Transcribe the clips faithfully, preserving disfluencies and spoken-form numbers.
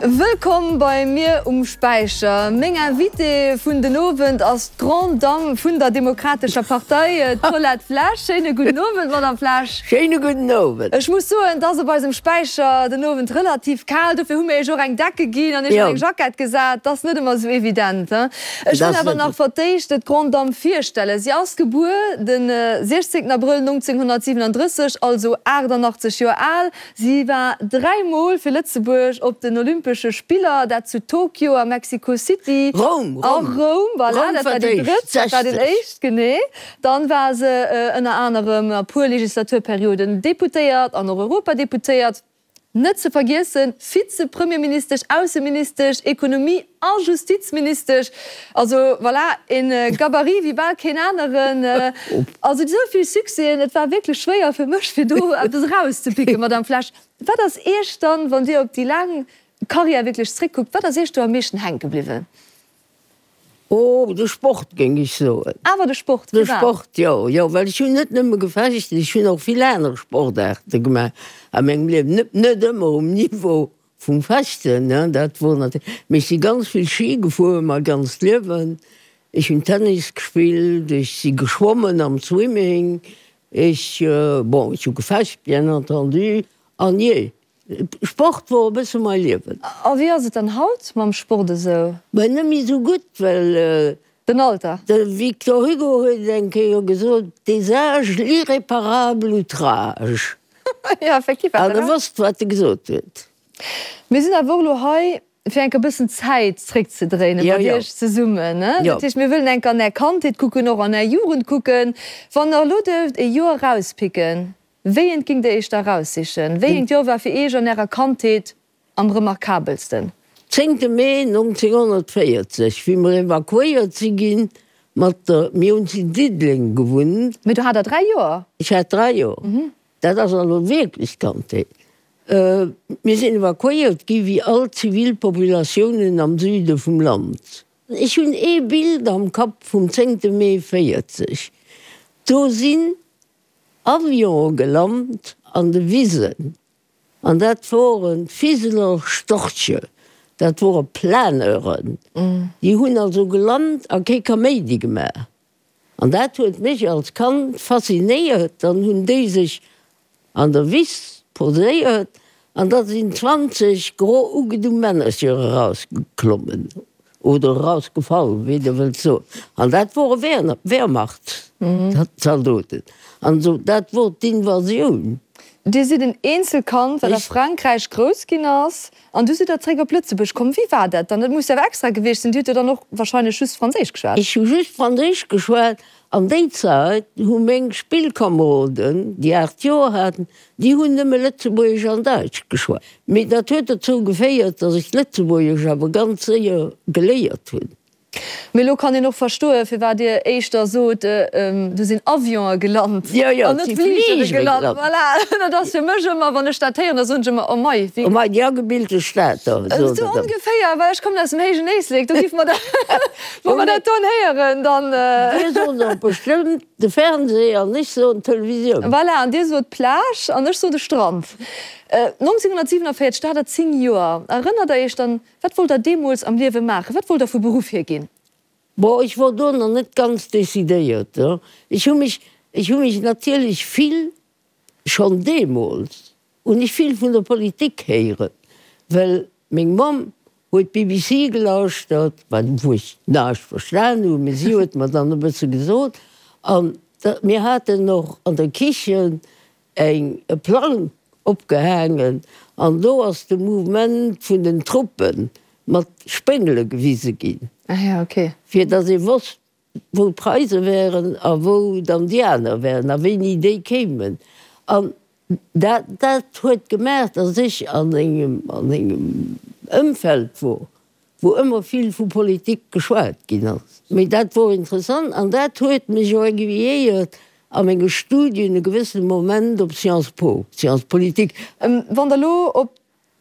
Wëllkomm bei mir um Späicher. Meng Invitée vun den Owend ass d'Grande Dame vun der Demokratescher Partei, d'Paulette Flesch. Schéine gudden Owend, Madame Flesch. Schéine gudden Owend. Ech muss soen, et ass op eisem Späicher den Owend relativ kal, dofir hu mir Iech och eng Decke ginn an Iech an eng Jackett gesat. Et ass net ëmmer esou evident, he? Ech wëll awer nach fir d'éischt d'Grande Dame virstellen. Si ass gebuer de siechzéngten Abrëll nonzénghonnertsiwenandrësseg, also aachtannachtzeg Joer al. Si war dräi Mol fir Lëtzebuerg op den Olympesche Spiller, dat zu Tokio a Mexico City. Roum, A Roum, voilà, Roum dat war war déi d'éischt, drëtt, dat war den sechzeg. éischt, genee. Dann war se ënner anerem a puer Legislaturperioden Deputéiert an och Europadeputéiert. Net ze vergiessen, Vize-Premierministesch, Ausseministesch, Ekonomie a Justizministesch. Also voilà, een Gabarit wéi bal keen aneren. Also esou vill Succèsen, et war wierklech schwéier fir mech, fir do eppes erauszepicken, Madame Flesch. Wat ass Iech dann, wann Dir op déi laang Karriär wierklech zréckkuckt, wat ass Iech do am meeschten hänke bliwwen? Oh, de Sport, géing ech soen. Awer de Sport, De firwat? Sport, jo, jo, well ech hunn net nëmme gefecht, ech hunn och vill aner Sportaarte gemaach a mengem Liewen. Net, net ëmmer um Niveau vum Fechten, ne, dat wor natierlech, mee ech si ganz vill Ski gefuer mäi ganzt Liewen. Ech hunn Tennis gespillt, ech si geschwommen am Swimming, ech, bon, ech hu gefecht, bien entendu, an jee, Sport wor e bësse mai Liewen. A wéi ass et dann haut mam Sport esou? Mä net méi esou gutt, well. Den Alter. De Victor Hugo huet eng Kéier gesot, Des âges l'irréparable outrage. Jo, effektiv hat An e e Recht. wosst, wat e gesot huet. Mir sinn awer och elo hei, fir enk e bëssen d'Zäit zréckzedréinen Jo, mat jo. Iech zesummen. Jo. Dat heescht, mir wëllen enk an Är Kandheet kucken, och an Är Jugend kucken. Wann Der elo dierft e Joer erauspicken, Wéi eent géingt Dir Iech da eraussichen? Wéi eent Joer war fir Iech an Ärer Kandheet am remarkabelsten? Zéngte Mee nonzénghonnertvéierzeg, wéi mer evakuéiert si ginn mat der, mir hunn zu Diddeleng gewunnt. Mee do hat Der dräi Joer? Ech hat dräi Joer. Dat ass also wierklech d'Kandheet. Mir sinn evakuéiert gi wéi all d'Zivilpopulatiounen am Süde vum Land. Ech hunn ee Bild am Kapp vum zéngte Mee véierzeg. Do sinn Avionë gelant an de Wisen, an dat woren Fiseler Storche, dat wore Planeuren, déi hunn also gelant a kee Kaméidi gemaach. An dat huet mech als Kand faszinéiert. Dann hunn déi sech an der Wiss poséiert an da sinn zwanzeg gro ugedu Männercher erausgeklommen. Oder erausgefall, wéi Der wëllt soen. An dat wore Wehrmachtszaldoten. An esou, dat wor d'Invasioun. Dir sidd en Eenzelkand, wat a Frankräich grouss ginn ass, an du sidd Der zréck op Lëtzebuerg komm. Wéi war dat dann? Dat muss jo awer extra gewiescht sinn. Dir hutt jo dann och wahrscheinlech just Franséisch geschwat. Ech hu just Franséisch geschwat. An déi Zäit hu meng Spillkameroden, déi aacht Joer haten, déi hunn nëmme Lëtzebuergesch an Däitsch geschwat. Mee dat huet dozou geféiert, datt ech d'Lëtzebuergesch awer ganz séier geléiert hunn. Mee elo kann een och verstoen, firwat Dir éischter sot, do sinn Avionë gelant an net Fligere gelant. Voilà, dat ass fir mech ëmmer, wann ech dat héieren, da soen ech ëmmer, Oh mei, wéi. Oh mei, déi agebilte Stater, sot Esou ongeféier, well ech kommen aus dem héijen Éislek, do géife mer dat, wa mer dat don héieren, dann. Dir sot och bestëmmt de Fernseh an ech soen d'Televisioun. Voilà, an Dir sot d'Plage an ech soen de Strand. nonzénhunnertsiwenavéierzeg, do hat Der zéng Joer. Erënnert Der Iech dann, wat wollt Der deemools am Liewe maachen? Wat wollt Der vu Beruff hier ginn? Bon, ech wor do nach net ganz decidéiert. Ech hu mech, ech hu mech natierlech vill, schonn deemools hunn ech vill vun der Politik héieren, well meng Mamm huet d'BBC gelauschtert, wat, wou ech näischt verstan hunn, mee si huet mer dann e bësse gesot. An da, mir haten och an der Kichen eng, e Plang opgehaangen an do ass de Mouvement vun den Truppe mat Spéngele gewise ginn, fir datt ee wosst, wou d'Preise wären a wou dann déi aner wären a wéini déi kéimen. An dat, dat huet gemaach, datt ech an engem, an engem Ëmfeld wor, wou ëmmer vill vu Politik geschwat ginn ass. Mee dat wor interessant an dat huet mech och aiguilléiert a menge Studien e gewëssene Moment op Sciences Po, Sciences politiques. Wann Der elo op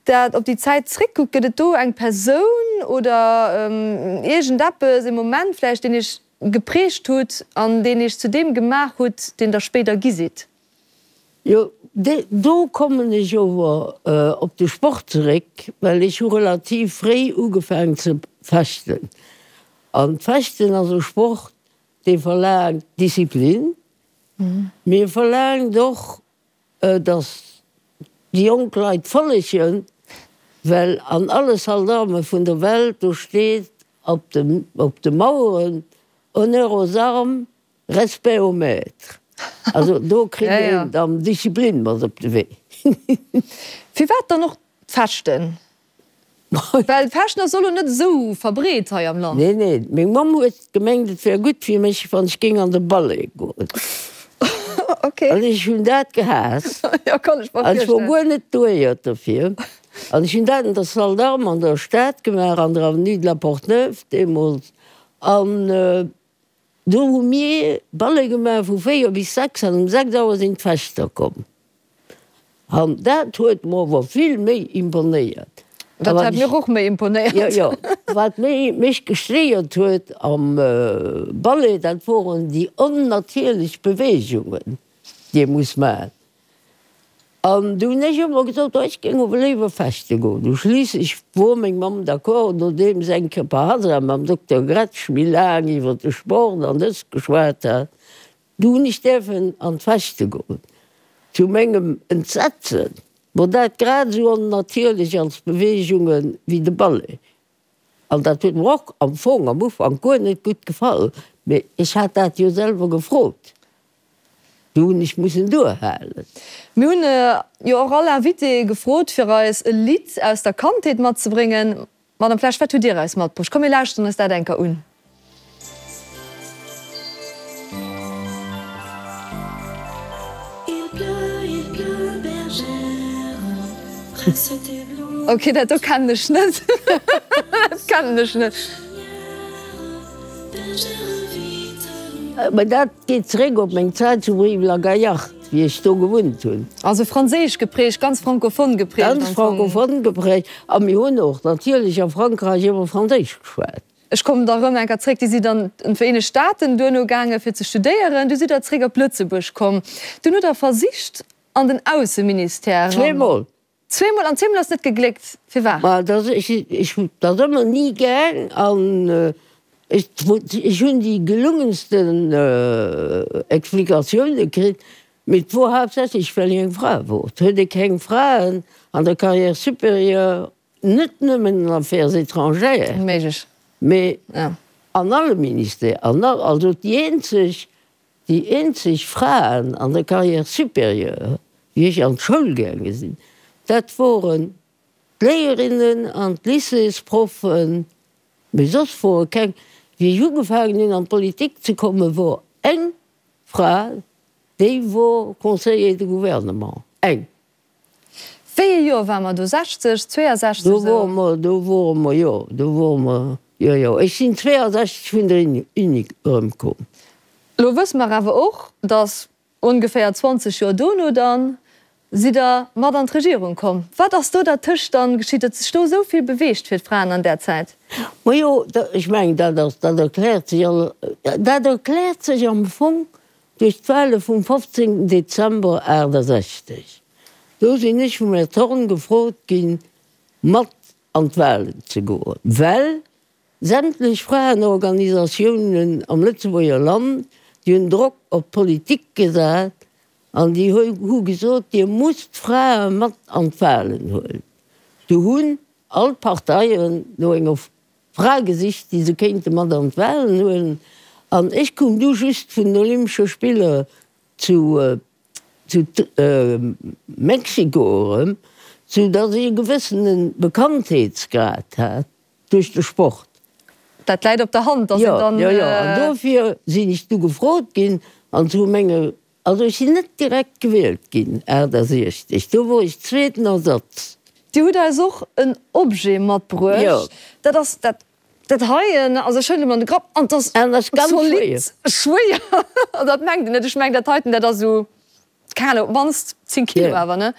dat, op déi Zäit zréckkuckt, gëtt et do eng Persoun oder iergendeppes, e Moment vläicht, deen Iech geprägt hutt an deen Iech zu deem gemaach hutt, deen Der spéider gi sidd? Jo, do kommen ech ower op de Sport zeréck, well ech hu relativ fréi ugefaangen ze fechten. An d'Fechten ass e Sport, dee verlaangt Disziplin, mee e verlaangt och, datt déi jonk Leit follegen, well an alle Salles d'armes vun der Welt, do steet op de, op de Maueren, Honneur aux armes, respect aux maîtres. Also do kritt een dann Disziplin mat op de Wee. Firwat dann och d'Fechten? Well d'Fechten ass elo net esou verbreet hei am Land. Nee, nee. Meng Mamm huet gemengt, et wär gutt fir mech, wann ech géing an de Ballet goen. Okay. An ech hunn dat gehaasst. Jo, kann ech mer An ech wor virstellen. guer net douéiert dofir. An ech hunn dat an der Salle d'Armes an der Stad gemaach, an der Avenue de la Porte-Neuve deemools. An do hu mir Ballet gemaach vu véier bis sechs an um sechs Auer sinn d'Fechter komm. An dat huet mer ower vill méi imponéiert. Dat hat mir och méi imponéiert. Jo, jo. Wat mech gestéiert huet am Ballet, dat woren déi onnatierlech Beweegungen, déi ee muss maachen. An du hunn ech ëmmer gesot, oh, ech géing ower léiwer fechte goen. Du schliisslech wor meng Mamm d'accord, nodeem se eng Kéier par hasard mam Dokter Gretsch méi laang iwwer de Sport an dëst geschwat hat. Du hunn ech däerfen an d'Fechte goen. Zu mengem Entsetzen wor dat grad esou onnatierlech als Beweegunge wéi de Ballet. An dat huet mer och am Fong am Ufank guer net gutt gefall, mee ech hat dat jo selwer gefrot. Du hunn ech mussen duerhalen. Mir hunn jo och all Invité gefrot, fir eis e Lidd aus der Kandheet matzebréngen. Madame Flesch, wat hutt Dir eis matbruecht? Komm mir lauschteren eis dat eng Kéier un. Ok, dat do kennen ech net. Dat kennen ech net. Mä dat geet zeréck op meng Zäit zu Brive-la-Gaillarde, wéi ech do gewunnt hunn. Also franséisch geprägt, ganz francophone geprägt am Ganz Fong. francophone geprägt. A mir hunn och natierlech a Frankräich ëmmer Franséisch geschwat. Ech kommen da rëm eng Kéier zréck. Dir sidd an d'Vereenegt Staaten duerno gaange fir ze studéieren. Du sidd der zréck op Lëtzebuerg komm. Dunn hutt Der versicht an den Ausseministère eran. Zweemol. Zweemol, an zweemol ass net gegléckt. Firwat? Ma dat ech, ech hunn dat ëmmer ni gaang an ech, ech hunn déi gelungensten Explikatioune kritt, mee et wor haaptsächlech well ech eng Fra wor. Et huet ee keng Fraen an der Carrière supérieure, net nëmmen an Affaires étrangères, mee an alle Ministère, an all, also déi eenzeg, déi eenzeg Fraen an der Carrière supérieure, wéi ech an d'Schoul gaange sinn, dat woren d'Léierinnen an d'Lycéesproffen, mee soss wore keng. Wéi ech ugefaangen hunn an d'Politik ze kommen, wor eng Fra, déi wor Conseiller de gouvernement, eng. Wéi ee Joer ware mer do? sechzeg, zweeënsechzeg Do esou? wore mer, do wore mer, jo, do wore mer, jo, jo. Ech sinn zweeënsechzeg vun der Uni erëmkomm. Elo wësse mer awer och, datt ongeféier zwanzeg Joer dono dann sidd Der mat an d'Regierung komm. Wat ass do dertëscht dann geschitt? Huet sech do esou vill beweegt fir d'Fraen an där Zäit? Majo, ech mengen, dat ass, dat erkläert sech all, dat erkläert sech am Fong duerch d'Wahle vum fofzéngten Dezember aachtasechzeg. Do sinn ech vum Här Thorn gefrot ginn, mat an d'Wahlen ze goen, well sämtlech Fraenorganisatiounen am Lëtzebuerger Land, déi hunn Drock op d'Politik gesat an déi hu gesot, Dir musst d'Frae mat an d'Wahlen huelen. Du hunn all d'Parteien no enger Fra gesicht, déi se kéinte mat an d'Wahlen huelen. An ech koum du just vun den Olympesche Spiller zu zu Mexiko erëm, sou datt ech e gewëssene Bekanntheetsgrad hat duerch de Sport. Dat läit op der Hand, datt een dann. Jo, jo, an dofir sinn ech du gefrot ginn an zu menge, also ech sinn net direkt gewielt ginn achtasiechzeg, do wor ech zweeten Ersatz. Dir hutt eis och en Objet matbruecht. Jo. Dat ass dat Dat heien, also ech huelen emol an de Grapp an 't ass zolidd schwéier. An dat mengt een net. Ech mengen dat heiten, dat ass esou, keng Ahnung, op d'mannst zéng Kilo awer, ne?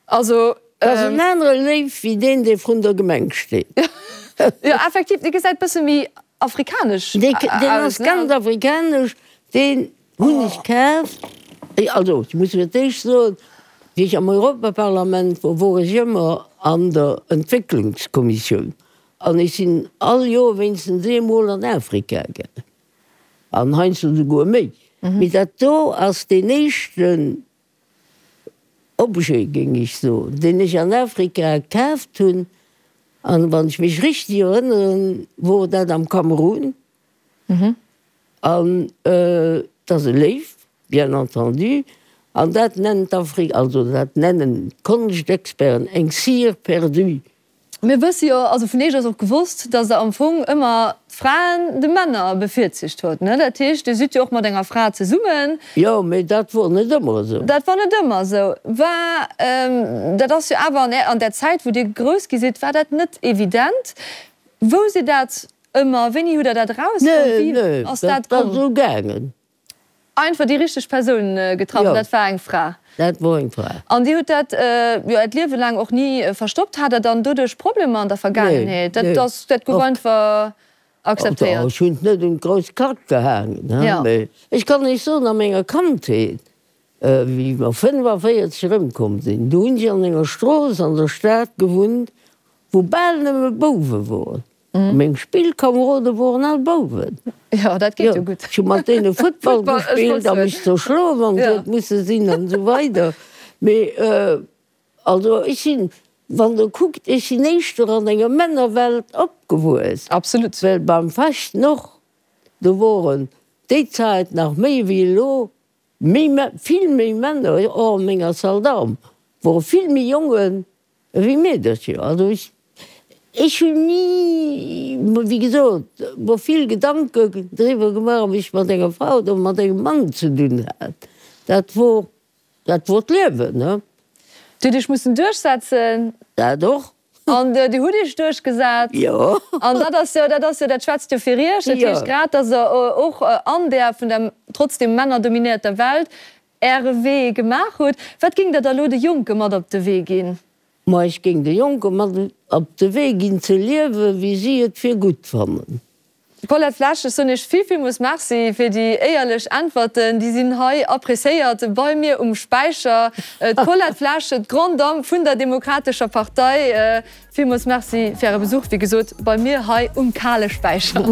Also. Dat ass en anere Léiw wéi deen, dee vrun der Gemeng steet. Jo, effektiv, dee gesäit bësse méi afrikanesch aus, ne? Deen ass ganz afrikanesch. Deen hunn ech kaf. Also, ech muss fir d'éischt soen, Wéi ech am Europaparlament wor, wor ech ëmmer an der Entwécklungskommissioun an ech sinn all Joer wéinstens eemol an Afrika gaangen an heiansdo souguer méi. Mee dat do ass deen éischten Objet, géing ech soen, deen ech an Afrika kaaft hunn an wann ech mech richteg erënneren, wor dat am Kamerun. An et ass e Léiw, bien entendu, an dat nennt d'Afri-, also dat nennen d'Konschtexperten eng cire perdue. Mir wësse jo, also vun Iech ass och gewosst, datt Der am Fong ëmmer d'Fraen de Männer bevirzicht hutt, ne? Dat heescht, Dir sidd jo och mat enger Fra zesummen. Jo, mee dat wor net ëmmer esou. Dat wor net ëmmer esou. War, dat ass jo awer an där Zäit, wou Dir grouss gi sidd, war dat net evident. Wou sidd dat Ëmmer, wéini hutt der dat erausfonnt? Wéi ass dat komm? Dat ass esou gaangen. Einfach déi richteg Persoun getraff, an dat war eng Fra? Dat wor eng Fra. An Dir hutt dat jo Äert Liewe laang och ni verstoppt. Hat Der dann doduerch Problemer an der Vergaangenheet? Dat ass, dat gouf einfach akzeptéiert? Ech hunn et net un d'grouss Klack gehaangen, mee ech kann Iech soen, a menger Kandheet, wéi mer fënnfavéierzeg erëmkomm sinn, do hunn ech an enger Strooss an der Stad gewunnt, wou bal nëmme Bouwe woren. Meng Spillkamerode woren all Bouwen. Jo, dat geet jo gutt. Ech hu mat deene Futtball gespillt a mech zerschloen, wann et huet musse sinn an esou weider. Mee also ech sinn, wann Der kuckt, ech sinn éischter an enger Männerwelt opgewuess. Absolut. Well beim Fechten och, do woren déi Zäit nach méi wéi elo méi, vill méi Männer, och a menger Salle d'armes wore vill méi Jongen Ewéi Meedercher. Also ech, ech hunn ni, wéi gesot, mer vill Gedanke driwwer gemaach, ob ech mat enger Fra oder mat engem Mann ze dunn hat. Dat wor, dat wor d'Liewen, ne? Dir hutt Iech mussen duerchsetzen. Dat och. An Dir hutt Iech duerchgesat. Jo. An dat ass jo, dat ass jo, dat schwätzt jo fir Iech. Dat heescht, grad datt Der och an där vun der trotzdem männerdominéierter Welt Äre Wee gemaach hutt. Wat géingt Der da lo de Jonke mat op de Wee ginn? Ma ech géing de Jonke mat op de Wee ginn, ze liewen, wéi si et fir gutt fannen. Paulette Flesch, Ech soen Iech vill, villmools Merci fir déi éierlech Äntwerten. Déi sinn hei appréciéiert bei mir um Späicher. D'Paulette Flesch, d'Grande Dame vun der Demokratescher Partei, villmools Merci fir Äre Besuch, wéi gesot, bei mir hei um kale Späicher.